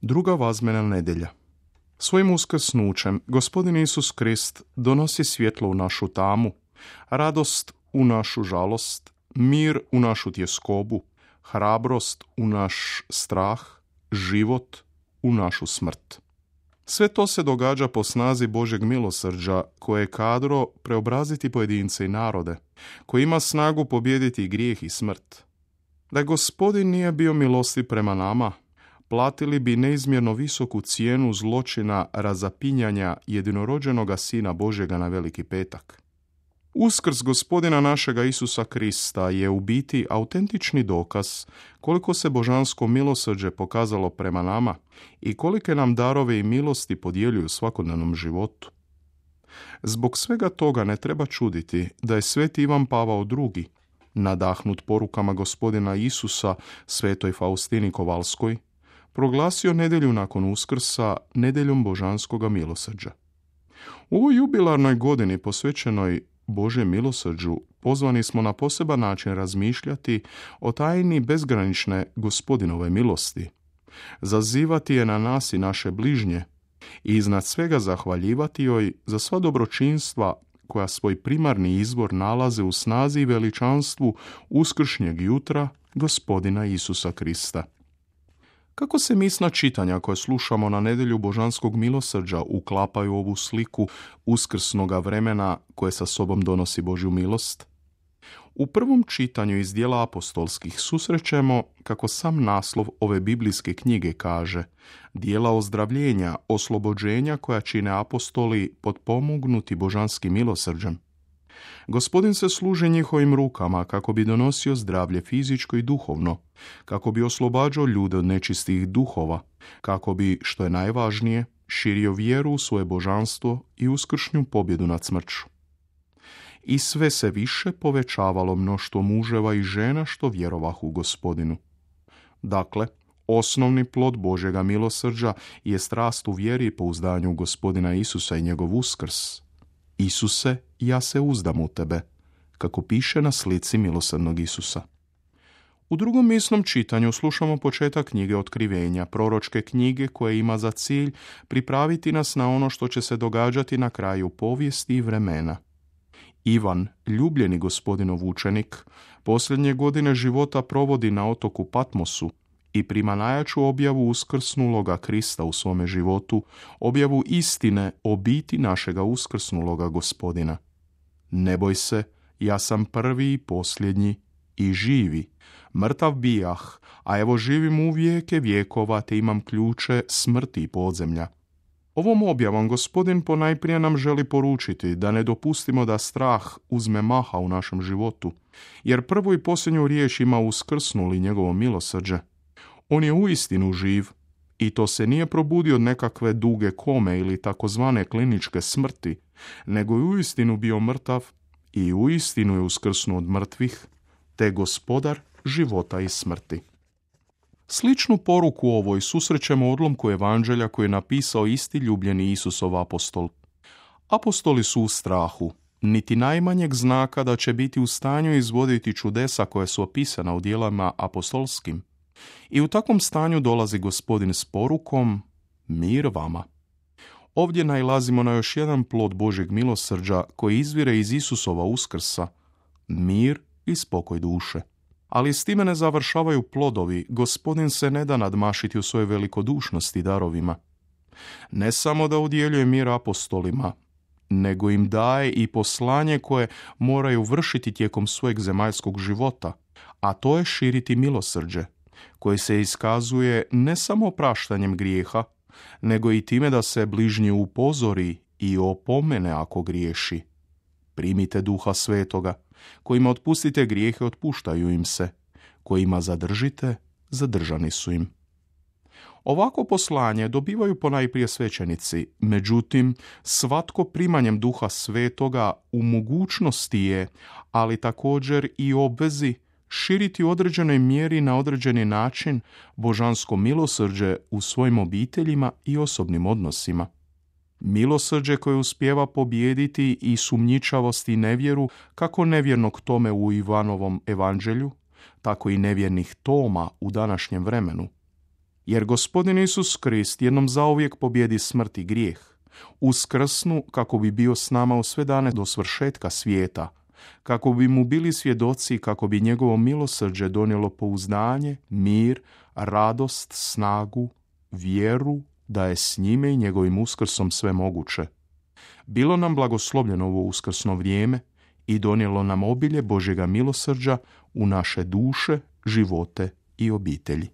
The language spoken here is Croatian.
Druga vazmena nedjelja. Svojim uskrsnućem Gospodin Isus Krist donosi svjetlo u našu tamu, radost u našu žalost, mir u našu tjeskobu, hrabrost u naš strah, život u našu smrt. Sve to se događa po snazi Božjeg milosrđa koje je kadro preobraziti pojedince i narode, koji ima snagu pobijediti grijeh i smrt. Da Gospodin nije bio milostiv prema nama, platili bi neizmjerno visoku cijenu zločina razapinjanja jedinorođenoga Sina Božjega na Veliki petak. Uskrs Gospodina našega Isusa Krista je u biti autentični dokaz koliko se božansko milosrđe pokazalo prema nama i kolike nam darove i milosti podjeljuju u svakodnevnom životu. Zbog svega toga ne treba čuditi da je sveti Ivan Pavao II, nadahnut porukama Gospodina Isusa svetoj Faustini Kovalskoj, proglasio nedjelju nakon Uskrsa nedjeljom božanskoga milosrđa. U ovoj jubilarnoj godini posvećenoj Božjem milosrđu pozvani smo na poseban način razmišljati o tajni bezgranične Gospodinove milosti, zazivati je na nas i naše bližnje i iznad svega zahvaljivati joj za sva dobročinstva koja svoj primarni izvor nalaze u snazi i veličanstvu uskršnjeg jutra Gospodina Isusa Krista. Kako se misna čitanja koje slušamo na nedjelju božanskog milosrđa uklapaju u ovu sliku uskrsnoga vremena koje sa sobom donosi Božju milost? U prvom čitanju iz djela apostolskih susrećemo, kako sam naslov ove biblijske knjige kaže, djela ozdravljenja, oslobođenja koja čine apostoli potpomognuti božanskim milosrđem. Gospodin se služi njihovim rukama kako bi donosio zdravlje fizičko i duhovno, kako bi oslobađao ljude od nečistih duhova, kako bi, što je najvažnije, širio vjeru u svoje božanstvo i uskršnju pobjedu nad smrću. I sve se više povećavalo mnoštvo muževa i žena što vjerovahu u Gospodinu. Dakle, osnovni plod Božjega milosrđa je strast u vjeri i pouzdanju u Gospodina Isusa i njegov uskrs. Isuse, ja se uzdam u tebe, kako piše na slici milosrdnog Isusa. U drugom misnom čitanju slušamo početak knjige Otkrivenja, proročke knjige koja ima za cilj pripraviti nas na ono što će se događati na kraju povijesti i vremena. Ivan, ljubljeni Gospodinov učenik, posljednje godine života provodi na otoku Patmosu i prima najjaču objavu uskrsnuloga Krista u svome životu, objavu istine o biti našega uskrsnuloga Gospodina. Ne boj se, ja sam prvi i posljednji i živi. Mrtav bijah, a evo živim u vijeke vjekova te imam ključe smrti i podzemlja. Ovom objavom Gospodin ponajprije nam želi poručiti da ne dopustimo da strah uzme maha u našem životu, jer prvu i posljednju riječ ima uskrsnuli njegovo milosrđe. On je uistinu živ i to se nije probudio od nekakve duge kome ili takozvane kliničke smrti, nego je uistinu bio mrtav i uistinu je uskrsnuo od mrtvih, te gospodar života i smrti. Sličnu poruku ovoj susrećemo u odlomku evanđelja koje je napisao isti ljubljeni Isusov apostol. Apostoli su u strahu, niti najmanjeg znaka da će biti u stanju izvoditi čudesa koje su opisana u djelama apostolskim. I u takvom stanju dolazi Gospodin s porukom mir vama. Ovdje nailazimo na još jedan plod Božjeg milosrđa koji izvire iz Isusova uskrsa, mir i spokoj duše. Ali s time ne završavaju plodovi, Gospodin se ne da nadmašiti u svojoj velikodušnosti i darovima. Ne samo da udjeljuje mir apostolima, nego im daje i poslanje koje moraju vršiti tijekom svojeg zemaljskog života, a to je širiti milosrđe, koje se iskazuje ne samo opraštanjem grijeha, nego i time da se bližnji upozori i opomene ako griješi. Primite Duha Svetoga, kojima otpustite grijehe, otpuštaju im se, kojima zadržite, zadržani su im. Ovako poslanje dobivaju ponajprije svećenici, međutim, svatko primanjem Duha Svetoga u mogućnosti je, ali također i obvezi, širiti u određenoj mjeri na određeni način božansko milosrđe u svojim obiteljima i osobnim odnosima. Milosrđe koje uspijeva pobijediti i sumnjičavost i nevjeru, kako nevjernog Tome u Ivanovom evanđelju, tako i nevjernih Toma u današnjem vremenu. Jer Gospodin Isus Krist jednom zauvijek pobjedi smrt i grijeh, uskrsnu kako bi bio s nama u sve dane do svršetka svijeta, kako bi mu bili svjedoci, kako bi njegovo milosrđe donijelo pouzdanje, mir, radost, snagu, vjeru da je s njime i njegovim uskrsom sve moguće. Bilo nam blagoslovljeno ovo uskrsno vrijeme i donijelo nam obilje Božjega milosrđa u naše duše, živote i obitelji.